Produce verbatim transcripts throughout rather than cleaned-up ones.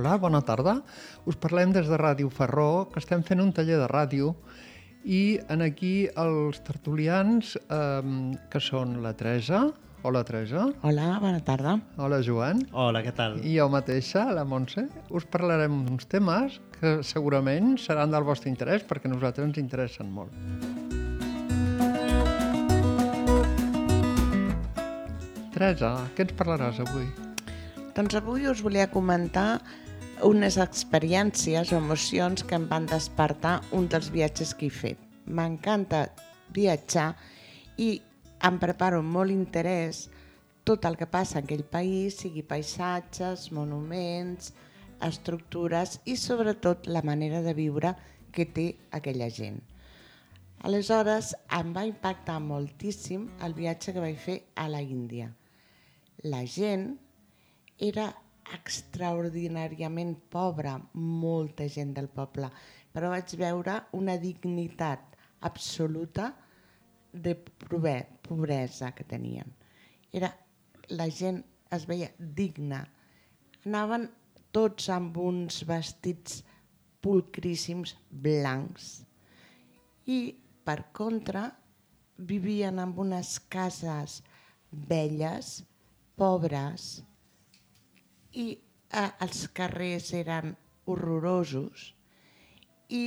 Hola, bona tarda. Us parlem des de Ràdio Ferró, que estem fent un taller de ràdio i en aquí els tertulians, eh, que són la Teresa. Hola, Teresa. Hola, bona tarda. Hola, Joan. Hola, què tal? I jo mateixa, la Montse. Us parlarem d'uns temes que segurament seran del vostre interès, perquè a nosaltres ens interessen molt. Teresa, què ens parlaràs avui? Doncs avui us volia comentar unes experiències o emocions que em van despertar un dels viatges que he fet. M'encanta viatjar i em preparo amb molt interès tot el que passa en aquell país, sigui paisatges, monuments, estructures i sobretot la manera de viure que té aquella gent. Aleshores em va impactar moltíssim el viatge que vaig fer a la Índia. La gent era extraordinàriament pobra, molta gent del poble, però vaig veure una dignitat absoluta de pobresa que tenien. Era, la gent es veia digna. Anaven tots amb uns vestits pulcríssims blancs i, per contra, vivien en unes cases velles, pobres, i eh, els carrers eren horrorosos i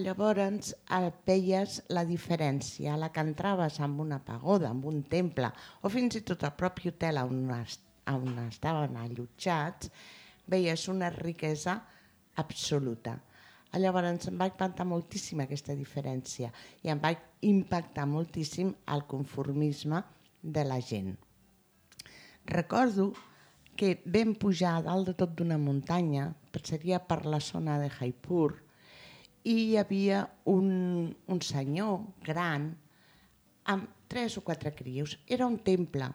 llavors eh, veies la diferència, a la que entraves amb una pagoda, amb un temple o fins i tot al propi hotel on, es, on estaven allotjats, veies una riquesa absoluta. Llavors em va impactar moltíssim aquesta diferència i em va impactar moltíssim el conformisme de la gent. Recordo que vam pujar a dalt de tot d'una muntanya, seria per la zona de Jaipur, i hi havia un, un senyor gran amb tres o quatre crios. Era un temple.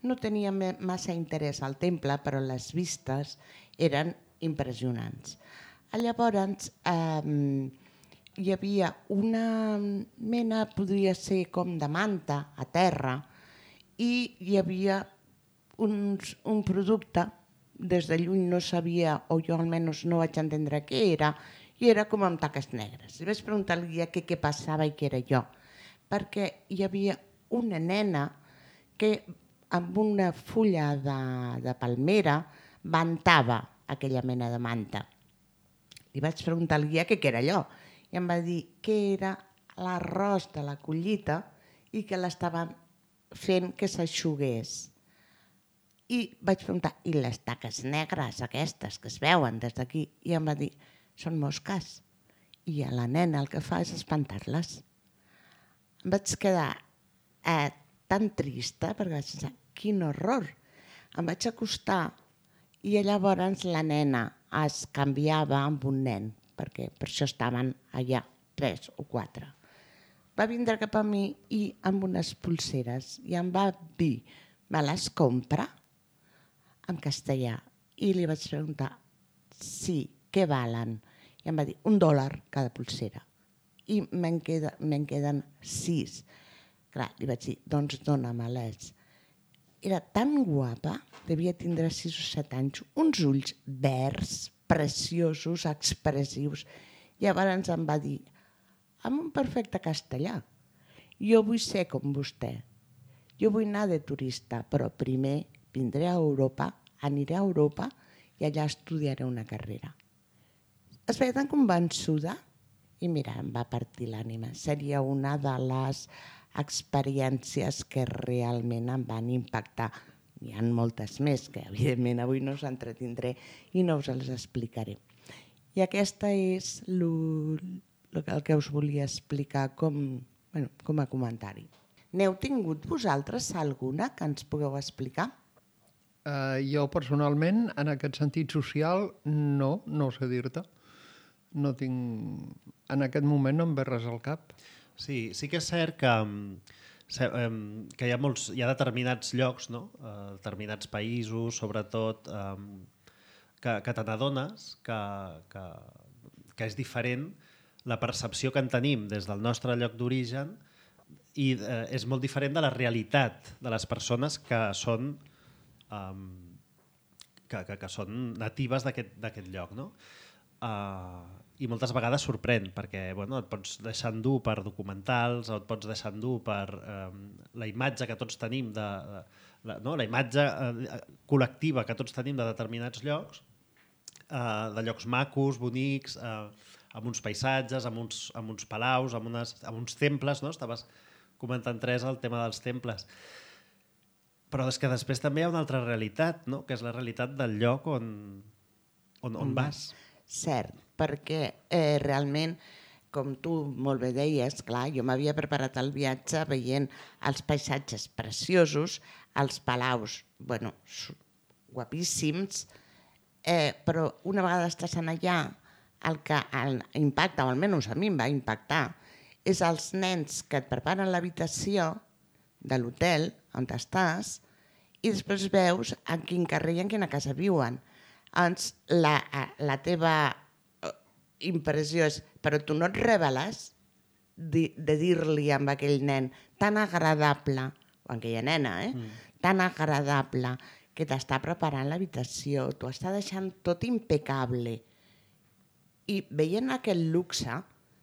No tenia massa interès al temple, però les vistes eren impressionants. Llavors eh, hi havia una mena, podria ser com de manta a terra, i hi havia Un, un producte, des de lluny no sabia, o jo almenys no vaig entendre què era, i era com amb taques negres. I vaig preguntar al guia què, què passava i què era jo, perquè hi havia una nena que amb una fulla de, de palmera ventava aquella mena de manta. Li vaig preguntar al guia què, què era allò, i em va dir que era l'arròs de la collita i que l'estaven fent que s'aixugués. I vaig preguntar, i les taques negres aquestes que es veuen des d'aquí? I em va dir, són mosques. I a la nena el que fa és espantar-les. Em vaig quedar eh, tan trista perquè vaig pensar, quin horror. Em vaig acostar i llavors la nena es canviava amb un nen, perquè per això estaven allà tres o quatre. Va vindre cap a mi i amb unes pulseres i em va dir, me les compra? En castellà, i li vaig preguntar, sí, què valen? I em va dir, un dòlar cada pulsera. I me'n queda, me'n queden sis. Clar, li vaig dir, doncs dóna-me-les. Era tan guapa, devia tindre sis o set anys, uns ulls verds, preciosos, expressius. Llavors em va dir, amb un perfecte castellà, jo vull ser com vostè. Jo vull anar de turista, però primer vindré a Europa, aniré a Europa i allà estudiaré una carrera. Es veia tan convençuda i mira, em va partir l'ànima. Seria una de les experiències que realment em van impactar. N'hi ha moltes més que evidentment avui no us entretindré i no us les explicaré. I aquesta és lo, lo, el que us volia explicar com, bueno, com a comentari. N'heu tingut vosaltres alguna que ens pugueu explicar? Uh, jo personalment, en aquest sentit social, no, no sé dir-te. No tinc... En aquest moment no em ve res al cap. Sí, sí que és cert que, que hi ha, molts, hi ha determinats llocs, no? uh, determinats països, sobretot, um, que, que te n'adones que, que, que és diferent la percepció que en tenim des del nostre lloc d'origen i eh, és molt diferent de la realitat de les persones que són um, que, que, que són natives d'aquest lloc, no? Uh, I moltes vegades sorprèn, perquè bueno, et pots deixar endur per documentals, o et pots deixar endur per um, la imatge que tots tenim, de, de, la, no? la imatge uh, col·lectiva que tots tenim de determinats llocs, uh, de llocs macos, bonics, uh, amb uns paisatges, amb uns, amb uns palaus, amb, unes, amb uns temples, no? Estaves comentant, Teresa, el tema dels temples. Però és que després també hi ha una altra realitat, no? Que és la realitat del lloc on, on, on vas. Cert, perquè eh, realment, com tu molt bé deies, clar, jo m'havia preparat el viatge veient els paisatges preciosos, els palaus, bueno, guapíssims, eh, però una vegada estàs allà, el que el impacta, o almenys a mi em va impactar, és els nens que et preparen l'habitació de l'hotel on estàs i després veus en quin carrer i en quina casa viuen. Doncs la, la teva impressió és, però tu no et reveles de, de dir-li a aquell nen tan agradable, o a aquella nena, eh? Mm. tan agradable, que t'està preparant l'habitació, t'ho està deixant tot impecable. I veient aquest luxe,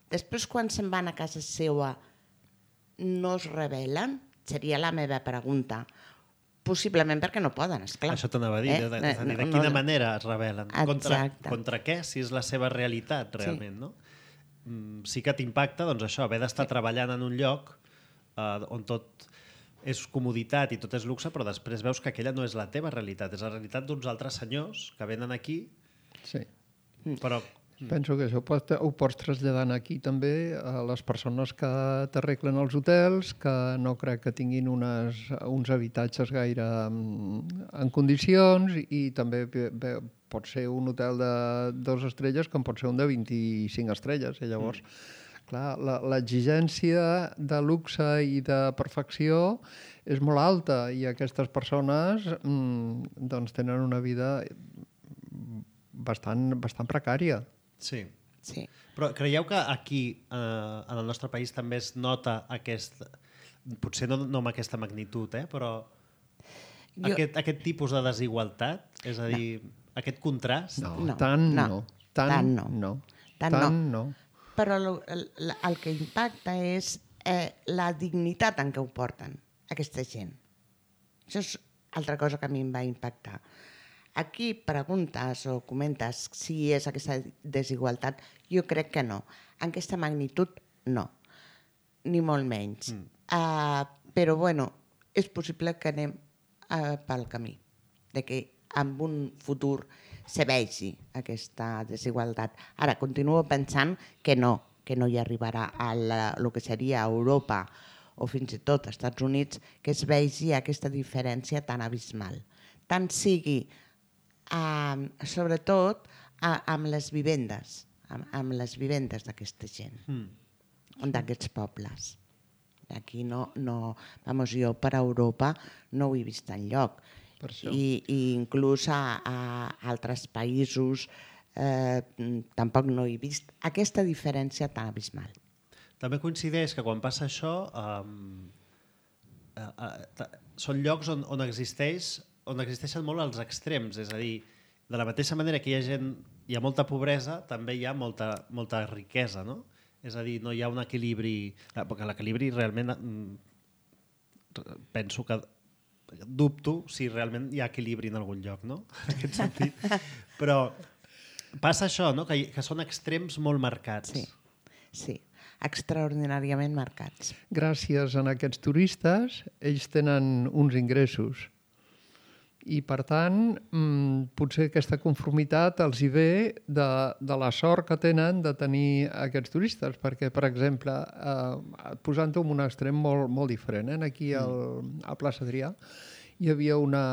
després quan se'n van a casa seva no es revelen? Seria la meva pregunta. Possiblement perquè no poden, esclar. Això t'anava a dir, eh? de, de, de, de quina no, manera es revelen? Contra, contra què, si és la seva realitat realment, sí. No? Mm, sí que t'impacta, doncs això, haver d'estar sí. treballant en un lloc eh, on tot és comoditat i tot és luxe, però després veus que aquella no és la teva realitat, és la realitat d'uns altres senyors que venen aquí, sí. però... Penso que això ho pots traslladar aquí també a les persones que t'arreglen els hotels, que no crec que tinguin unes, uns habitatges gaire en condicions, i també bé, pot ser un hotel de dues estrelles com pot ser un de vint-i-cinc estrelles. I llavors, mm. clar, l'exigència de luxe i de perfecció és molt alta, i aquestes persones mm, doncs tenen una vida bastant, bastant precària. Sí. sí. Però creieu que aquí, eh, en el nostre país, també es nota aquest... Potser no, no amb aquesta magnitud, eh, però jo... aquest, aquest tipus de desigualtat, és a dir, no. aquest contrast... No, no tant no. no. Tant, tant no. no. Tant, tant no. no. Però el, el, el que impacta és eh, la dignitat en què ho porten, aquesta gent. Això és altra cosa que a mi em va impactar. Aquí preguntes o comentes si és aquesta desigualtat. Jo crec que no. En aquesta magnitud, no. Ni molt menys. Mm. Uh, però, bueno, és possible que anem uh, pel camí, de que en un futur se vegi aquesta desigualtat. Ara, continuo pensant que no, que no hi arribarà a la, el que seria Europa o fins i tot als Estats Units, que es vegi aquesta diferència tan abismal. Tant sigui Uh, sobretot uh, amb les vivendes, amb, amb les vivendes d'aquesta gent, mm. d'aquests pobles. Aquí no, no, vamos, jo per Europa no ho he vist enlloc. I, i inclús a, a altres països eh, tampoc no he vist aquesta diferència tan abismal. També coincideix que quan passa això um, uh, uh, són llocs on, on existeix on existeixen molt els extrems, és a dir, de la mateixa manera que hi ha gent, hi ha molta pobresa, també hi ha molta, molta riquesa, no? És a dir, no hi ha un equilibri, perquè l'equilibri realment penso que dubto si realment hi ha equilibri en algun lloc, no? En aquest sentit. Però passa això, no? Que, que són extrems molt marcats. Sí, sí, extraordinàriament marcats. Gràcies a aquests turistes, ells tenen uns ingressos. I, per tant, potser aquesta conformitat els hi ve de, de la sort que tenen de tenir aquests turistes, perquè, per exemple, eh, posant-ho en un extrem molt, molt diferent, eh? Aquí al, a Plaça Adrià hi havia una,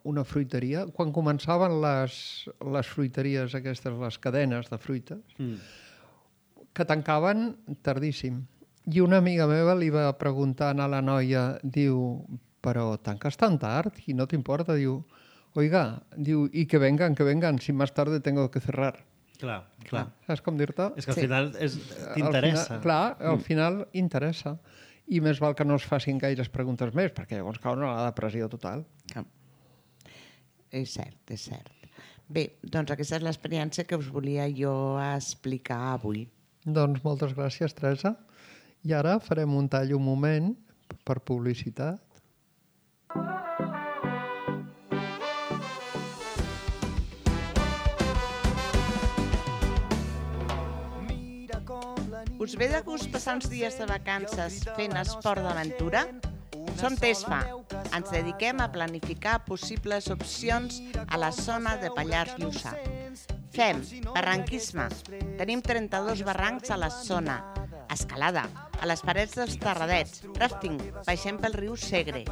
una fruiteria. Quan començaven les, les fruiteries aquestes, les cadenes de fruites, mm. que tancaven tardíssim. I una amiga meva li va preguntar a la noia, diu... però tanques tan tard i no t'importa, diu, oiga, diu, y que vengan, que vengan, si más tarde tengo que cerrar. Clar, clar. Saps com dir-te? És que al sí. final t'interessa. Clar, al final interessa. I més val que no es facin gaires preguntes més, perquè llavors cau una depressió total. És cert, és cert. Bé, doncs aquesta és l'experiència que us volia jo explicar avui. Doncs moltes gràcies, Teresa. I ara farem un tall un moment per publicitat. Us ve de gust passar uns dies de vacances fent esport d'aventura? Som TESFA. Ens dediquem a planificar possibles opcions a la zona de Pallars Jussà. Fem barranquisme. Tenim trenta-dos barrancs a la zona. Escalada, a les parets dels Terradets. Rafting, baixem pel riu Segre.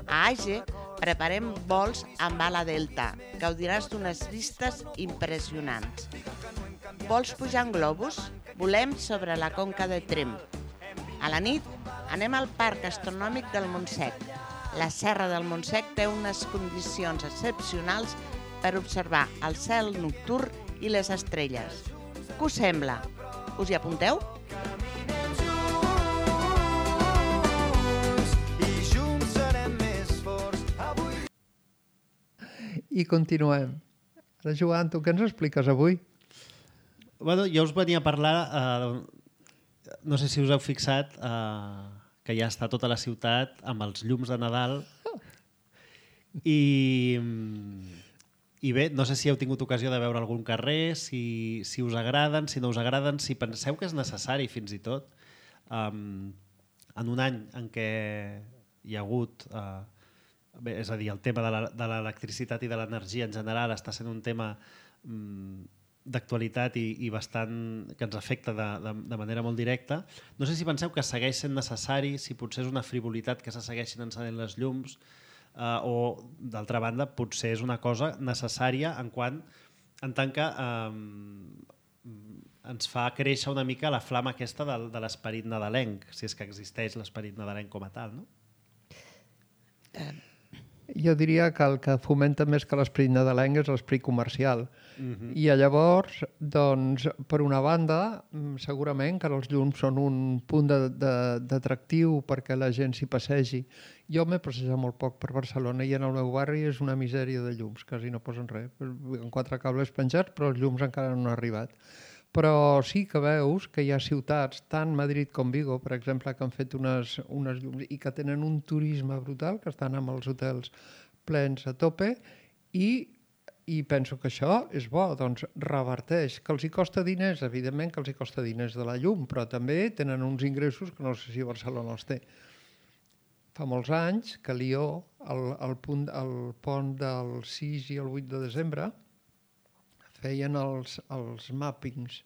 A Age preparem vols amb ala delta. Gaudiràs d'unes vistes impressionants. Vols pujar en globus? Volem sobre la conca de Tremp. A la nit anem al Parc Astronòmic del Montsec. La Serra del Montsec té unes condicions excepcionals per observar el cel nocturn i les estrelles. Què us sembla? Us hi apunteu? I continuem. Ara, Joan, tu què ens expliques avui? Bueno, jo us venia a parlar, eh, no sé si us heu fixat, eh, que ja està tota la ciutat amb els llums de Nadal i, i bé, no sé si heu tingut ocasió de veure algun carrer, si, si us agraden, si no us agraden, si penseu que és necessari fins i tot. Um, en un any en què hi ha hagut, eh, bé, és a dir, el tema de l'electricitat i de l'energia en general està sent un tema um, d'actualitat i, i bastant que ens afecta de, de, de manera molt directa. No sé si penseu que segueix sent necessari, si potser és una frivolitat que se segueixin encenent les llums eh, o, d'altra banda, potser és una cosa necessària en quant en tant que eh, ens fa créixer una mica la flama aquesta de, de l'esperit nadalenc, si és que existeix l'esperit nadalenc com a tal, no? Eh... Jo diria que el que fomenta més que l'esperit nadalenc és l'esperit comercial. Uh-huh. I llavors, doncs, per una banda, segurament que els llums són un punt d'atractiu perquè la gent s'hi passegi. Jo m'he passejat molt poc per Barcelona i en el meu barri és una misèria de llums, quasi no posen res. Amb quatre cables penjats, però els llums encara no han arribat. Però sí que veus que hi ha ciutats, tant Madrid com Vigo, per exemple, que han fet unes, unes llums i que tenen un turisme brutal, que estan amb els hotels plens a tope, i, i penso que això és bo, doncs reverteix. Que els hi costa diners, evidentment que els hi costa diners de la llum, però també tenen uns ingressos que no sé si Barcelona els té. Fa molts anys que a Lió, el, el, punt, el pont del sis i el vuit de desembre, feien els, els mappings,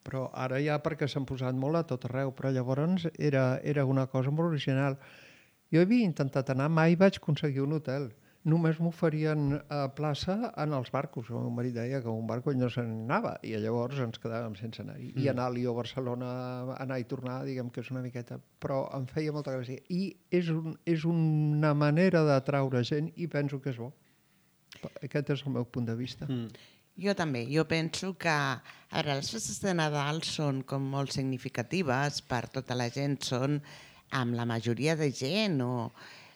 però ara ja perquè s'han posat molt a tot arreu, però llavors era, era una cosa molt original. Jo havia intentat anar, mai vaig aconseguir un hotel. Només m'oferien a plaça en els barcos. El meu marit deia que un barco ell no se n'anava i llavors ens quedàvem sense anar-hi. Mm. I anar a Lió, Barcelona, anar i tornar, diguem que és una miqueta, però em feia molta gràcia. I és, un, és una manera d'atraure gent i penso que és bo. Aquest és el meu punt de vista. Mm. Jo també. Jo penso que a veure, les festes de Nadal són com molt significatives per tota la gent, són amb la majoria de gent o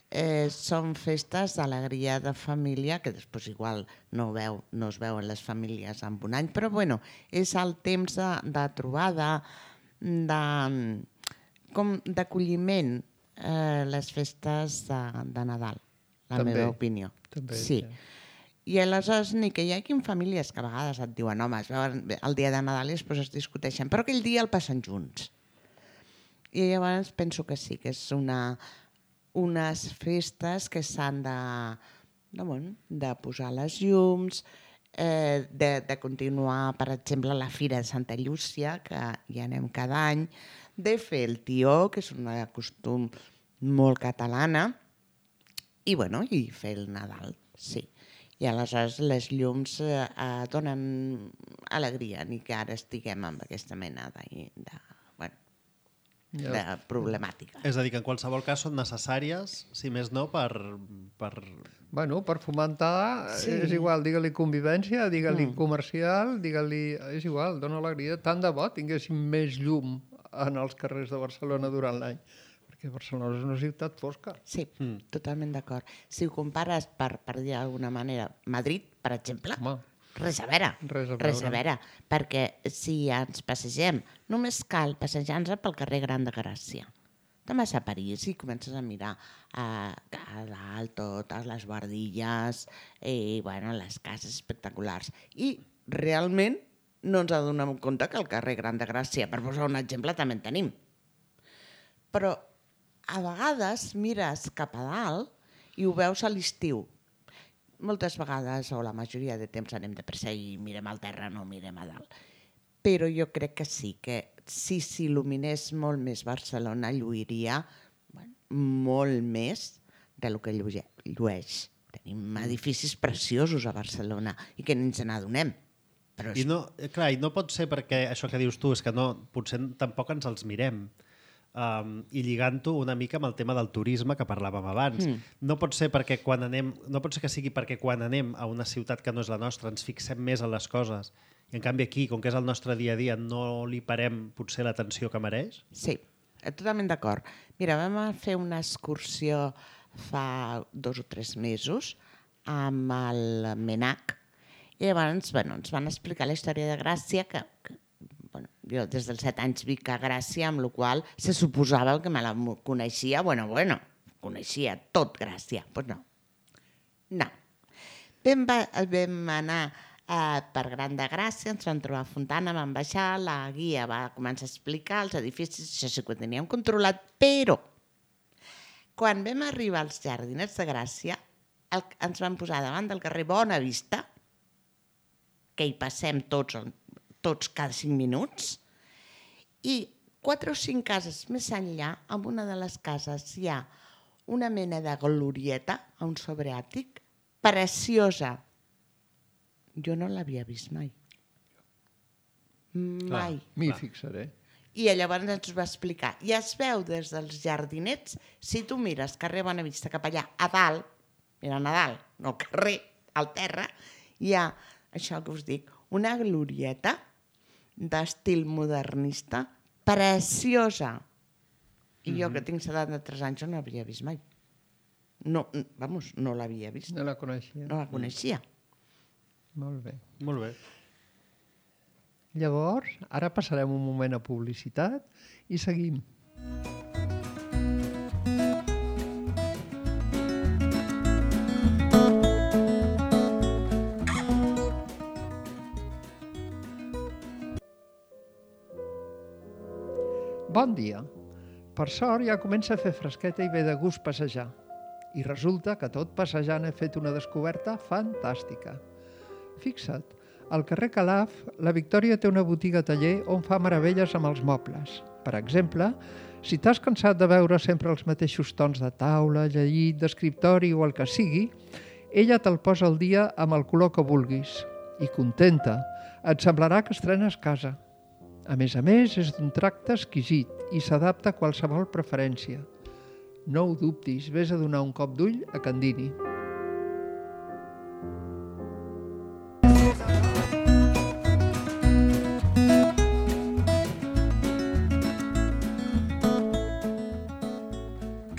eh, són festes d'alegria de família que després igual no, veu, no es veuen les famílies en un any, però bueno, és el temps de, de trobada, d'acolliment, eh, les festes de, de Nadal, la també, meva opinió. També, sí. sí. I aleshores ni que hi hagi famílies que a vegades et diuen home, es veuen el dia de Nadal i després es discuteixen, però aquell dia el passen junts. I llavors penso que sí, que és una, unes festes que s'han de, de, bueno, de posar les llums, eh, de, de continuar, per exemple, la Fira de Santa Llúcia, que hi anem cada any, de fer el tió, que és una costum molt catalana, i, bueno, i fer el Nadal, sí. I aleshores les llums eh, donen alegria, ni que ara estiguem amb aquesta mena de, de, bueno, de problemàtica. És a dir, que en qualsevol cas són necessàries, si més no, per... per... Bueno, per fomentar, sí. És igual, digue-li convivència, digue-li mm. comercial, digue-li... És igual, dona alegria. Tant de bo tinguéssim més llum en els carrers de Barcelona durant l'any. Que Barcelona és una ciutat fosca. Sí, mm. totalment d'acord. Si ho compares, per, per dir d'alguna manera, Madrid, per exemple, home. res a veure. Res a Res a veure. veure. Perquè si ens passegem, només cal passejar-nos pel carrer Gran de Gràcia. Te'n vas a París i comences a mirar a, a dalt totes les bordilles i bueno, les cases espectaculars. I realment no ens adonem compte que el carrer Gran de Gràcia, per posar un exemple, també en tenim. Però a vegades mires cap a dalt i ho veus a l'estiu. Moltes vegades, o la majoria de temps, anem de pressa i mirem al terra, no mirem a dalt. Però jo crec que sí, que si s'il·luminés molt més Barcelona, lluiria bueno, molt més del que llueix. Tenim edificis preciosos a Barcelona i que ni ens n'adonem. Però és... I no, clar, i no pot ser perquè això que dius tu és que no, potser tampoc ens els mirem. Um, i lligant-ho una mica amb el tema del turisme que parlàvem abans. Mm. No pot ser perquè quan anem, no pot ser que sigui perquè quan anem a una ciutat que no és la nostra ens fixem més en les coses i en canvi aquí, com que és el nostre dia a dia, no li parem potser l'atenció que mereix? Sí, totalment d'acord. Mira, vam fer una excursió fa dos o tres mesos amb el MENAC i llavors bueno, ens van explicar la història de Gràcia que, que bueno, jo des dels set anys vic a Gràcia, amb la qual se suposava que me la coneixia, bueno, bueno, coneixia tot Gràcia. Doncs pues no. No. Vam, vam anar eh, per Gran de Gràcia, ens vam trobar a Fontana, vam baixar, la guia va començar a explicar els edificis, això sí que ho teníem controlat, però quan vam arribar als Jardinets de Gràcia, el, ens vam posar davant del carrer Bona Vista, que hi passem tots tots cada cinc minuts, i quatre o cinc cases més enllà, en una de les cases hi ha una mena de glorieta a un sobreàtic, preciosa. Jo no l'havia vist mai. Mai. M'hi fixaré. I llavors ens va explicar. I es veu des dels Jardinets, si tu mires carrer Bonavista cap allà, a dalt, mirant a dalt, no al carrer, al terra, hi ha, això que us dic, una glorieta d'estil modernista preciosa. I jo, que tinc setanta-tres anys, no l'havia vist mai. No, vamos, no l'havia vist. No la coneixia. No la coneixia. Molt bé. Molt bé. Llavors, ara passarem un moment a publicitat i seguim. Bon dia. Per sort ja comença a fer fresqueta i ve de gust passejar. I resulta que tot passejant he fet una descoberta fantàstica. Fixa't, al carrer Calaf, la Victòria té una botiga taller on fa meravelles amb els mobles. Per exemple, si t'has cansat de veure sempre els mateixos tons de taula, llit, d'escriptori o el que sigui, ella te'l posa al dia amb el color que vulguis. I contenta, et semblarà que estrenes casa. A més a més, és d'un tracte exquisit i s'adapta a qualsevol preferència. No ho dubtis, vés a donar un cop d'ull a Candini.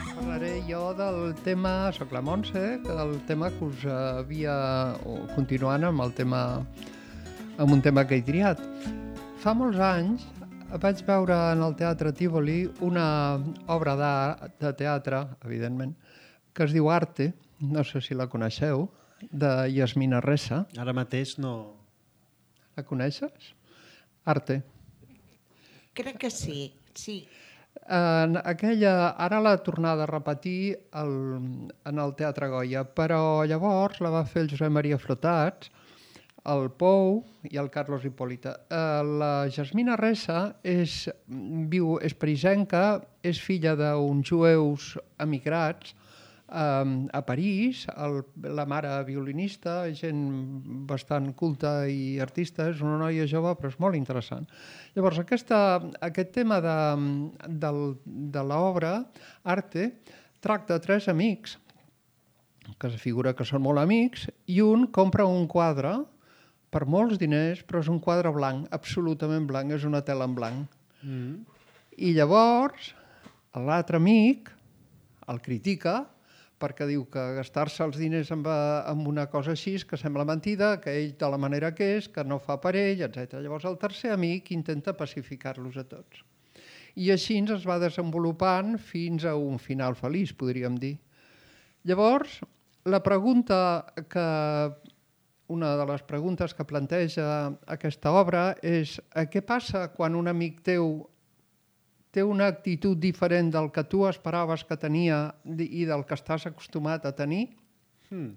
Parlaré jo del tema, soc la Montse, del tema que us havia, o continuant amb el tema, amb un tema que he triat. Fa molts anys vaig veure en el Teatre Tívoli una obra de teatre, evidentment, que es diu Arte, no sé si la coneixeu, de Yasmina Ressa. Ara mateix no... La coneixes? Arte. Crec que sí, sí. En aquella, ara l'ha tornada a repetir el, en el Teatre Goya, però llavors la va fer el Josep Maria Flotats, el Pou i el Carlos Hipòlita. La Yasmina Ressa és, viu, és parisenca, és filla d'uns jueus emigrats a París, el, la mare violinista, gent bastant culta i artista, és una noia jove però és molt interessant. Llavors aquesta, aquest tema de, de, de l'obra Arte tracta tres amics que es figura que són molt amics i un compra un quadre per molts diners, però és un quadre blanc, absolutament blanc, és una tela en blanc. Mm. I llavors l'altre amic el critica perquè diu que gastar-se els diners amb, amb una cosa així que sembla mentida, que ell de la manera que és, que no fa per ell, etcètera. Llavors el tercer amic intenta pacificar-los a tots. I així es va desenvolupant fins a un final feliç, podríem dir. Llavors, la pregunta que... Una de les preguntes que planteja aquesta obra és què passa quan un amic teu té una actitud diferent del que tu esperaves que tenia i del que estàs acostumat a tenir? Hmm.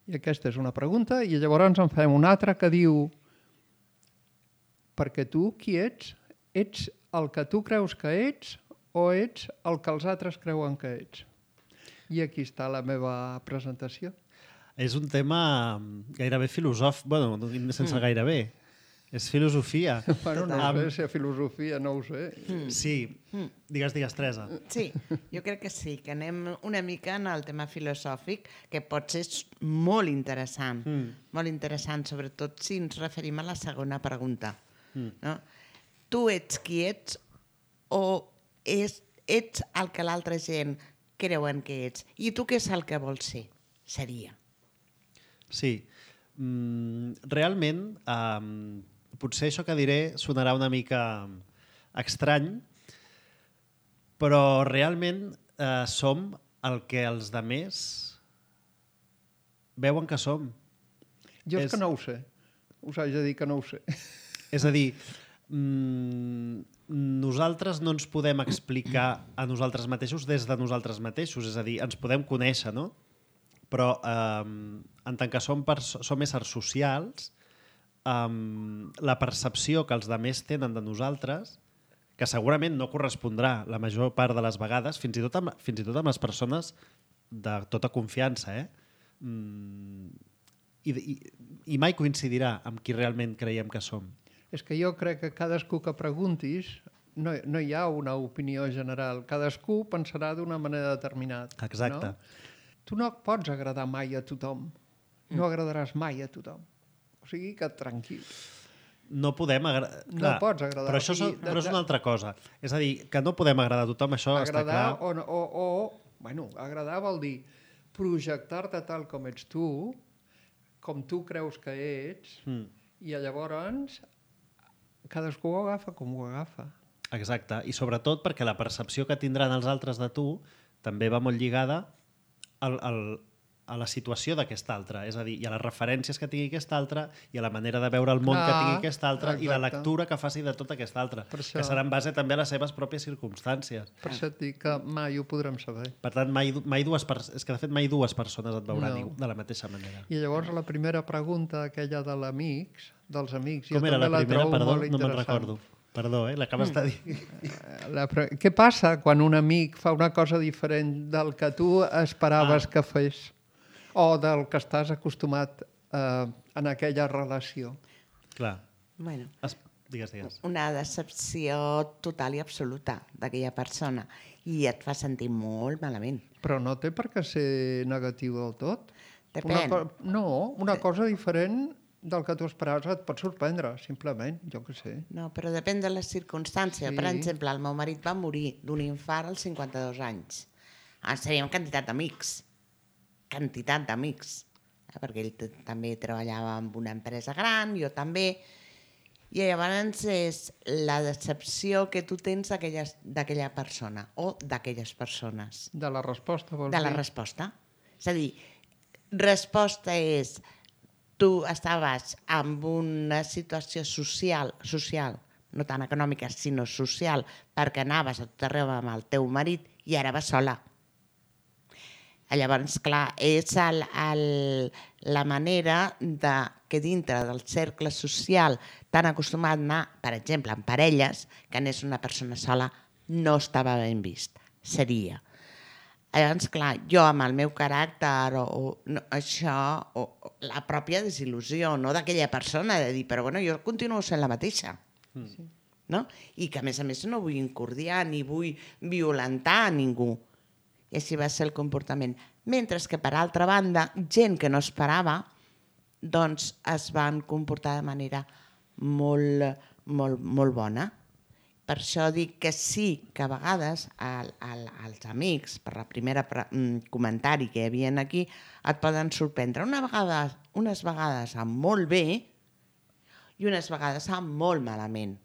I aquesta és una pregunta, i llavors en fem una altra que diu perquè tu qui ets? Ets el que tu creus que ets o ets el que els altres creuen que ets? I aquí està la meva presentació. És un tema gairebé filosòfic, bueno, sense mm. gairebé. És filosofia. Bueno, no um, sé si és filosofia, no ho sé. Mm. Sí. Mm. Digues, digues, Teresa. Sí, jo crec que sí, que anem una mica en el tema filosòfic, que pot ser molt interessant. Mm. Molt interessant, sobretot si ens referim a la segona pregunta. Mm. No? Tu ets qui ets o és, ets el que l'altra gent creuen que ets? I tu què és el que vols ser? Seria. Sí. Mm, realment, um, potser això que diré sonarà una mica estrany, però realment eh, som el que els demés veuen que som. Jo és, és que no ho sé. Us haig de dir que no ho sé. És a dir, mm, nosaltres no ens podem explicar a nosaltres mateixos des de nosaltres mateixos. És a dir, ens podem conèixer, no? Però eh, en tant que som, som éssers socials, eh, la percepció que els altres tenen de nosaltres, que segurament no correspondrà la major part de les vegades, fins i tot amb, fins i tot amb les persones de tota confiança, eh? Mm, i, i, i mai coincidirà amb qui realment creiem que som. És que jo crec que cadascú que preguntis no, no hi ha una opinió general. Cadascú pensarà d'una manera determinada. Exacte. No? Tu no pots agradar mai a tothom. No agradaràs mai a tothom. O sigui que tranquil. No podem agradar... No pots agradar. Però això és, però és una altra cosa. És a dir, que no podem agradar a tothom, això agradar està clar. O, o, o, bueno, agradar vol dir projectar-te tal com ets tu, com tu creus que ets, mm. i llavors cadascú ho agafa com ho agafa. Exacte. I sobretot perquè la percepció que tindran els altres de tu també va molt lligada Al, al, a la situació d'aquest altre, és a dir, i a les referències que tingui aquest altre, i a la manera de veure el món ah, que tingui aquest altre, exacte. I la lectura que faci de tot aquest altre, que serà en base també a les seves pròpies circumstàncies. Per això et dic que mai ho podrem saber. Per tant, mai, mai dues pers- és que de fet mai dues persones et veuran no. de la mateixa manera. I llavors la primera pregunta, aquella de l'amics, dels amics, com jo era també la primera? la trobo Perdó, molt no me'n interessant. recordo. Perdó, eh? L'acabes de dir. La pre... Què passa quan un amic fa una cosa diferent del que tu esperaves ah. que fes o del que estàs acostumat eh, en aquella relació? Clar. Bueno, es... digues, digues. Una decepció total i absoluta d'aquella persona i et fa sentir molt malament. Però no té per què ser negatiu del tot. Depèn. Una co... No, una cosa diferent del que tu esperaves et pot sorprendre, simplement, jo què sé. No, però depèn de les circumstàncies. Sí. Per exemple, el meu marit va morir d'un infart als cinquanta-dos anys. Ah, seríem quantitat d'amics. Quantitat d'amics. Eh, perquè ell t- també treballava en una empresa gran, jo també. I llavors és la decepció que tu tens d'aquella persona o d'aquelles persones. De la resposta, vols dir? De la resposta. És a dir, resposta és... Tu estaves en una situació social, social, no tan econòmica, sinó social, perquè anaves a tot arreu amb el teu marit i ara vas sola. Llavors, clar, és el, el, la manera de, que dintre del cercle social tan acostumat a anar, per exemple, en parelles, que anés una persona sola, no estava ben vist. Seria. Llavors, clar, jo amb el meu caràcter o, o no, això, o, o la pròpia desil·lusió, no d'aquella persona, de dir, però bueno, jo continuo sent la mateixa. Mm. No? I que a més a més no vull incordiar ni vull violentar a ningú. I així va ser el comportament. Mentre que, per altra banda, gent que no esperava, doncs es van comportar de manera molt, molt, molt bona. Per això dic que sí, que a vegades el, el, els amics, per la primera pre comentari que hi havia aquí, et poden sorprendre. Una vegada, unes vegades amb molt bé i unes vegades amb molt malament.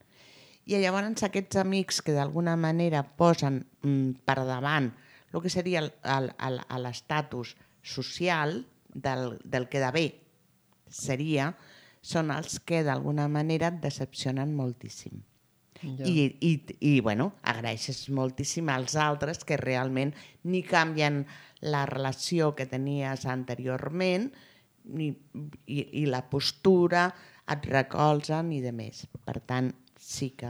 I llavors aquests amics que d'alguna manera posen mm, per davant el que seria l'estatus social del, del que de bé seria, són els que d'alguna manera et decepcionen moltíssim. Ja. I, i, i bueno, agraeixes moltíssim als altres que realment ni canvien la relació que tenies anteriorment ni, i, i la postura, et recolzen i de més. Per tant, sí que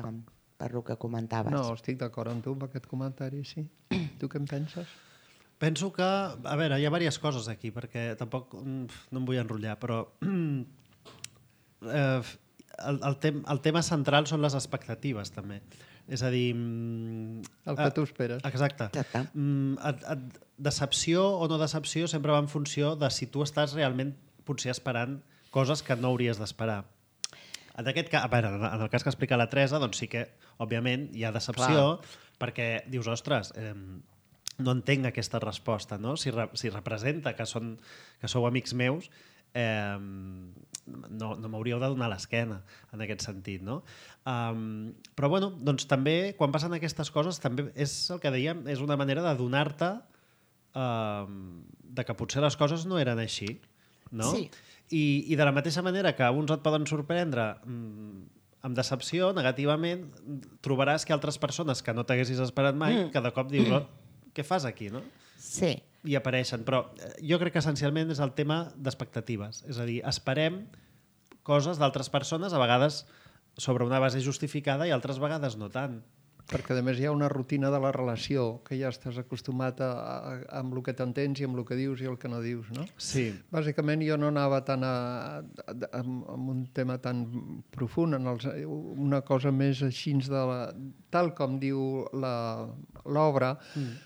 per el que comentaves. No, estic d'acord amb tu amb aquest comentari, sí. Tu què en penses? Penso que, a veure, hi ha diverses coses aquí, perquè tampoc no em vull enrotllar, però eh, el, el, tem, el tema central són les expectatives, també. És a dir... El que tu esperes. Exacte. Exacte. Et, et, decepció o no decepció sempre va en funció de si tu estàs realment potser esperant coses que no hauries d'esperar. En aquest cas, a veure, en el cas que explica la Teresa, doncs sí que, òbviament, hi ha decepció, clar, perquè dius, ostres, eh, no entenc aquesta resposta, no? Si, re, si representa que, són, que sou amics meus, eh, no, no m'hauríeu de donar l'esquena en aquest sentit, no? Um, però, bueno, doncs també, quan passen aquestes coses, també és el que dèiem, és una manera de donar-te eh, de que potser les coses no eren així, no? Sí. I, i de la mateixa manera que uns et poden sorprendre mmm, amb decepció, negativament, trobaràs que altres persones que no t'haguessis esperat mai, mm. que de cop dius, oh, què fas aquí, no? Sí. I apareixen. Però jo crec que essencialment és el tema d'expectatives. És a dir, esperem coses d'altres persones, a vegades sobre una base justificada i altres vegades no tant. Perquè, a més, hi ha una rutina de la relació que ja estàs acostumat a, a, amb el que t'entens i amb el que dius i el que no dius, no? Sí. Bàsicament, jo no anava tant a, a, a, a un tema tan profund, en els, una cosa més així de la, tal com diu l'obra, mm.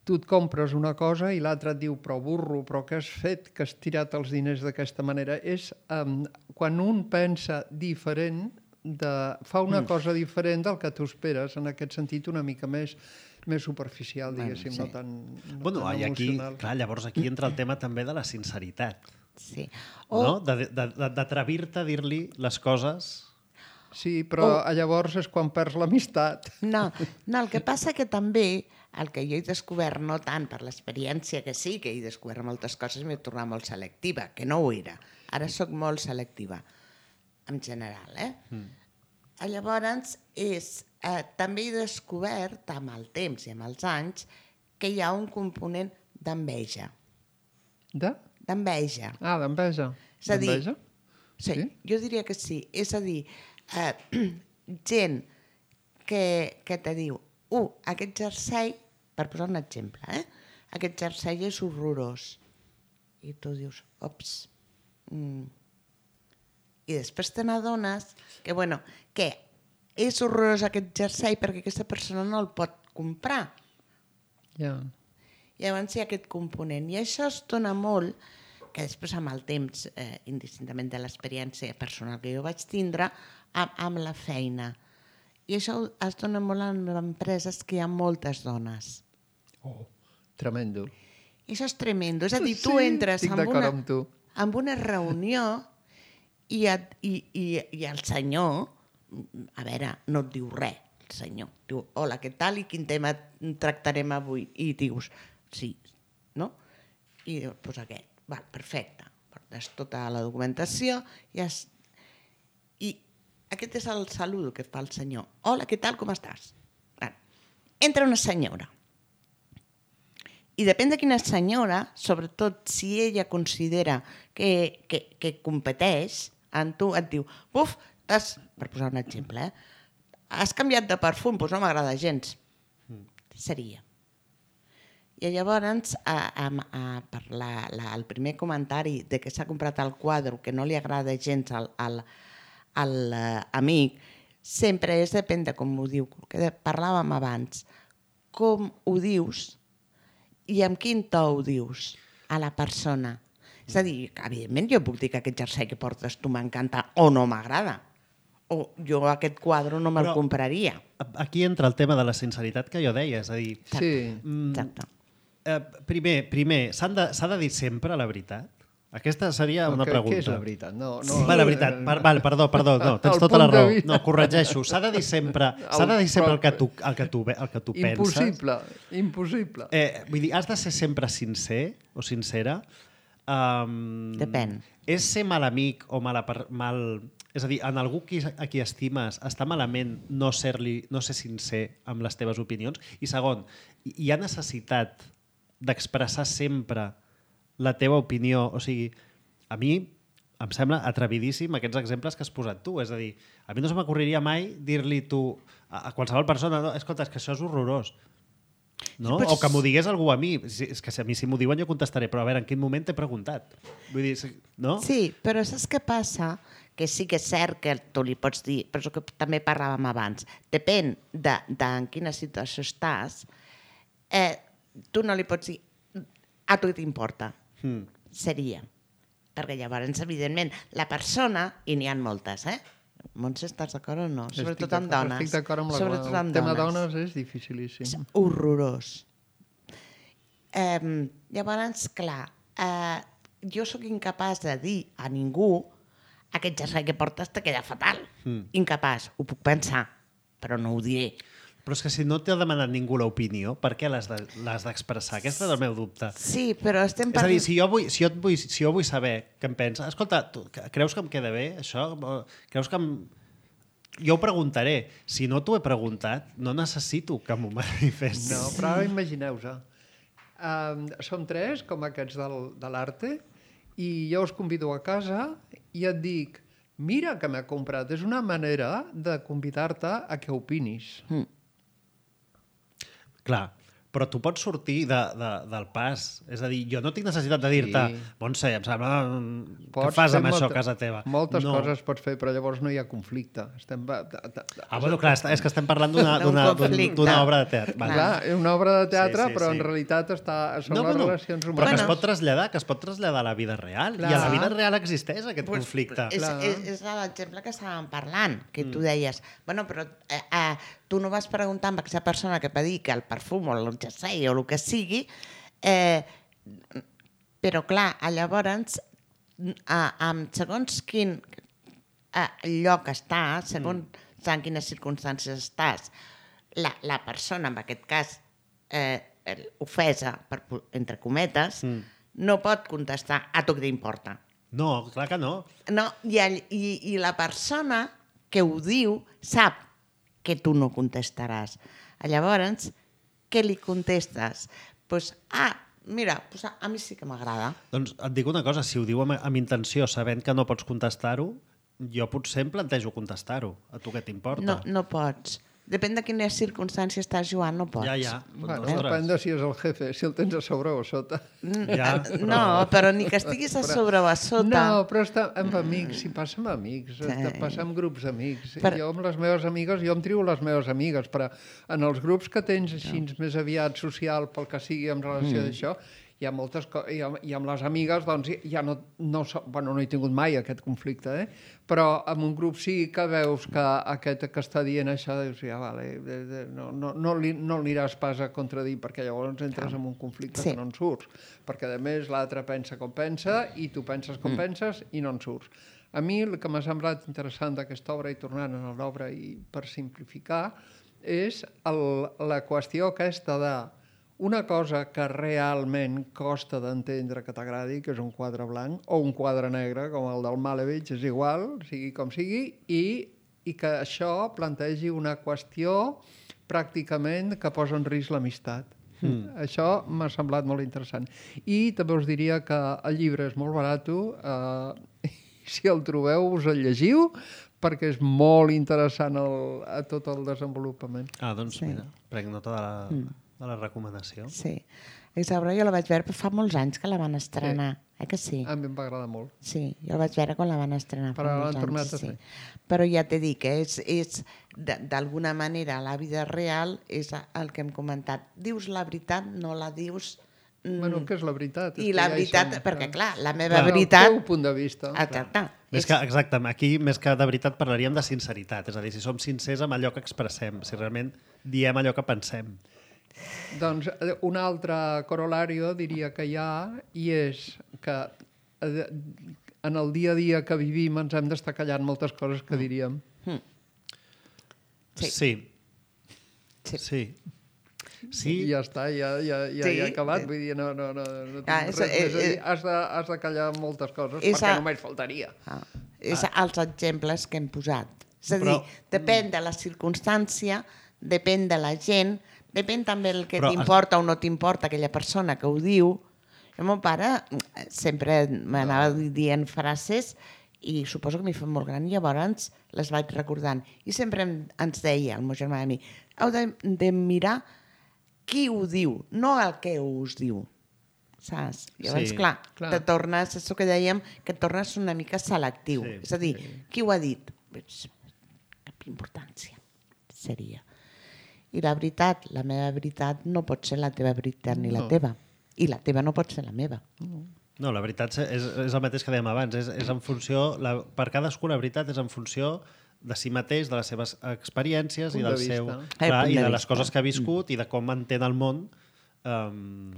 tu et compres una cosa i l'altre et diu, però burro, però què has fet, que has tirat els diners d'aquesta manera? És um, quan un pensa diferent, de, fa una mm. cosa diferent del que tu esperes, en aquest sentit una mica més, més superficial, diguéssim, bueno, sí. no tan, no bueno, tan emocional. Aquí, clar, llavors aquí entra el tema també de la sinceritat. Sí. O... no? D'atrevir-te a dir-li les coses. Sí, però o... llavors és quan perds l'amistat. No, no, el que passa que també el que jo he descobert, no tant per l'experiència que sí, que he descobert moltes coses, m'he tornat molt selectiva, que no ho era. Ara sóc molt selectiva. En general, eh? Mm. Llavors, és, eh, també he descobert amb el temps i amb els anys que hi ha un component d'enveja. De? D'enveja. Ah, d'enveja. És a dir, sí, sí, jo diria que sí. És a dir, eh, gent que, que te diu, uh, aquest jersei, per posar un exemple, eh? aquest jersei és horrorós. I tu dius, ops, mm, i després te n'adones que, bueno, que és horrorós aquest jersei perquè aquesta persona no el pot comprar. Yeah. I llavors hi ha aquest component. I això es dona molt, que després amb el temps, eh, indistintament de l'experiència personal que jo vaig tindre, amb, amb la feina. I això es dona molt en empreses que hi ha moltes dones. Oh, tremendo. I això és tremendo. És a dir, tu sí, entres amb una, amb, tu. amb una reunió I, et, i, i, i el senyor, a veure, no et diu res, el senyor. Diu, hola, què tal i quin tema tractarem avui? I dius, sí, no? I dius, doncs aquest. Val, perfecte. Portes tota la documentació i, es... i aquest és el saludo que fa el senyor. Hola, què tal, com estàs? Val. Entra una senyora. I depèn de quina senyora, sobretot si ella considera que, que, que competeix, en tu et diu, buf, has, per posar un exemple, eh? has canviat de perfum, doncs no m'agrada gens. Mm. Seria. I llavors, a, a, a, per la, la, el primer comentari de que s'ha comprat el quadre que no li agrada gens al, al, al uh, amic, sempre és depèn de com ho diu, que parlàvem abans, com ho dius i amb quin to ho dius a la persona. És a dir, evidentment jo puc dir que aquest jersei que portes tu m'encanta o no m'agrada. o jo aquest quadre no me'l Però- compraria. Aquí entra el tema de la sinceritat que jo deia, és a dir, Sí. mm, Exacte. eh, primer, primer s'han de, s'ha de dir sempre la veritat? Aquesta seria una Què- pregunta. Què és la veritat? No, no, Va, la veritat, per, val, perdó, perdó, no, tens El tota la punt de raó. vista. No, corregeixo, s'ha de dir sempre, s'ha de dir sempre el que tu, el que tu, el que tu penses. Impossible, impossible. Eh, vull dir, has de ser sempre sincer o sincera. Um, Depèn. És ser mal amic o mala per, mal... És a dir, en algú qui, a qui estimes està malament no ser-li no ser sincer amb les teves opinions? I segon, hi ha necessitat d'expressar sempre la teva opinió? O sigui, a mi em sembla atrevidíssim aquests exemples que has posat tu. És a dir, a mi no se m'ocorreria mai dir-li tu a, a qualsevol persona, no, escolta, és que això és horrorós. No? Però O que m'ho digués algú a mi. Si- És que si a mi si m'ho diuen jo contestaré, però a veure, en quin moment t'he preguntat? Vull dir, si- no? Sí, però saps què passa? Que sí que és cert que tu li pots dir, però és el que també parlàvem abans, depèn de, de en quina situació estàs, eh, tu no li pots dir a tu t'importa. Mm. Seria. Perquè llavors, evidentment, la persona, i n'hi ha moltes, eh? Montse, estàs d'acord o no? Sobretot amb d'acord- dones. Estic d'acord amb la Sobretot el amb tema dones. dones és dificilíssim. És horrorós. Eh, llavors, clar, eh, jo sóc incapaç de dir a ningú aquest jersei que portes te queda fatal. Mm. Incapaç, ho puc pensar, però no ho diré. Però és que si no t'ha demanat ningú l'opinió, per què l'has de- l'has d'expressar? Aquest és el meu dubte. Sí, però estem És a dir, si jo vull, si jo et vull, si jo vull saber què em pensa, escolta, tu, creus que em queda bé això? Creus que em... Jo ho preguntaré. Si no t'ho he preguntat, no necessito que m'ho manifestis. No, però ara imagineu-vos. Um, som tres, com aquests del, de l'Arte, i jo us convido a casa i et dic, mira que m'he comprat. És una manera de convidar-te a que opinis. Mm. Clar, però tu pots sortir de, de, del pas. És a dir, jo no tinc necessitat de dir-te Sí. Montse, em sembla... Què Pots fas fer amb això molta- a casa teva? Moltes no. coses pots fer, però llavors no hi ha conflicte. Estem... Ah, bueno, clar, és que estem parlant d'una D'un d'una conflicte. d'una obra de teatre. Vale. Clar, és una obra de teatre, Sí, sí, però sí. en realitat està, són No, les bueno, relacions però que humanes. es pot traslladar, que es pot traslladar a la vida real. Clar. I a la vida real existeix aquest Pues, conflicte. És, Clar. és, és l'exemple que estàvem parlant, que tu deies, bueno, però eh, eh, tu no vas preguntar amb aquesta persona que va dir que el perfum o el jersei o el que sigui, eh, però clar, llavors, a, amb segons quin eh, lloc estàs, segons mm. en quines circumstàncies estàs, la, la persona, en aquest cas, eh, ofesa, per, entre cometes, mm. no pot contestar a tu què t'importa. No, clar que no. No, i, el, i, i la persona que ho diu sap que tu no contestaràs. Llavors, què li contestes? Pues, ah, mira, pues a, a mi sí que m'agrada. Doncs et dic una cosa, si ho diu amb, amb intenció, sabent que no pots contestar-ho, jo potser em plantejo contestar-ho. A tu què t'importa? No, no pots. Depèn de quines circumstàncies estàs jugant, no pots. Ja, ja. Bueno, Ostres. depèn de si és el jefe, si el tens a sobre o a sota. Ja, però... No, però ni que estiguis a sobre o a sota. No, però està amb amics, si passa amb amics, Sí. sí. passa amb grups d'amics. Per- Jo amb les meves amigues, jo em trio les meves amigues, però en els grups que tens així més aviat social, pel que sigui en relació mm. d'això, hi ha moltes coses, i, amb- i amb les amigues doncs ja no, no, so- bueno, no he tingut mai aquest conflicte, eh? Però amb un grup sí que veus que aquest que està dient això, dius, ja, vale, de, de, no, no, no, li, no l'aniràs pas a contradir, perquè llavors entres en un conflicte Sí. que no en surts, perquè a més l'altre pensa com pensa i tu penses com mm. penses i no en surts. A mi el que m'ha semblat interessant d'aquesta obra, i tornant a l'obra i per simplificar, és el, la qüestió aquesta de una cosa que realment costa d'entendre que t'agradi, que és un quadre blanc, o un quadre negre, com el del Malevich, és igual, sigui com sigui, i, i que això plantegi una qüestió pràcticament que posa en risc l'amistat. Mm. Això m'ha semblat molt interessant. I també us diria que el llibre és molt barat, eh, si el trobeu us el llegiu, perquè és molt interessant el, a tot el desenvolupament. Ah, doncs Sí. mira, prenc nota de la, mm. de la recomanació. Sí. Aquesta obra jo la vaig veure, però fa molts anys que la van estrenar. Sí. Eh que sí? A mi em va agradar molt. Sí, jo la vaig veure quan la van estrenar fa Però molts l'han tornat anys. a Sí. fer. Però ja t'he dit que és, és de- d'alguna manera la vida real és el que hem comentat. Dius la veritat, no la dius... mm, Bueno, què és la veritat? És I que la ja hi veritat, som, perquè clar, la meva Clar, el veritat... teu punt de vista. Exacte. Més és... que, exacte, aquí més que de veritat parlaríem de sinceritat, és a dir, si som sincers amb allò que expressem, si realment diem allò que pensem. Doncs eh, un altre corolario diria que hi ha i és que eh, en el dia a dia que vivim ens hem d'estar callant moltes coses que diríem. Mm. Sí. Sí. Sí. Sí. Sí. I ja està, ja, ja, ja, Sí. ja ha acabat. Vull dir, no, no, no, no tinc Ah, res és- més a dir. eh, eh, Has de, has de callar moltes coses, és perquè a- només faltaria. Ah, és ah. els exemples que hem posat. És a dir, Però- depèn de la circumstància, depèn de la gent, depèn també el que Però- t'importa o no t'importa aquella persona que ho diu. El meu pare eh, sempre m'anava dient frases i suposo que m'hi fa molt gran i llavors les vaig recordant. I sempre em- ens deia, el meu germà i a mi, heu de, de mirar qui ho diu, no el que us diu. Saps? Llavors, Sí, clar, clar. te tornes, és el que dèiem, que et tornes una mica selectiu. Sí, és a dir, qui ho ha dit? Pues, cap importància seria. I la veritat, la meva veritat no pot ser la teva veritat ni la No. teva. I la teva no pot ser la meva. No, la veritat és, és el mateix que dèiem abans, és, és en funció, la, per cadascú la veritat és en funció de si mateix, de les seves experiències Punt i de del vista. seu, Eh, clar, punt i de de les vista. coses que ha viscut i de com entén el món. Um,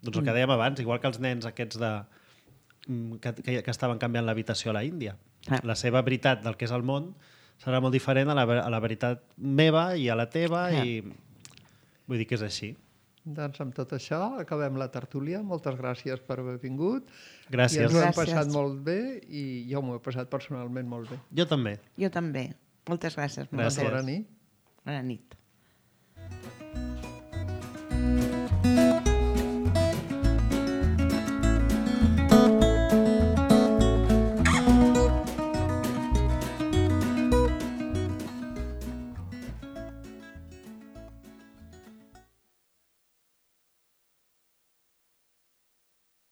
doncs el que dèiem abans, igual que els nens aquests de, mm, que, que, que estaven canviant l'habitació a la Índia. Ah. La seva veritat del que és el món serà molt diferent a la, a la veritat meva i a la teva Ah. i vull dir que és així. Doncs amb tot això acabem la tertúlia. Moltes gràcies per haver vingut. Gràcies. I ens ho hem Gràcies. passat molt bé i jo m'ho he passat personalment molt bé. Jo també. Jo també. Moltes gràcies. Gràcies. Bona nit. Bona nit.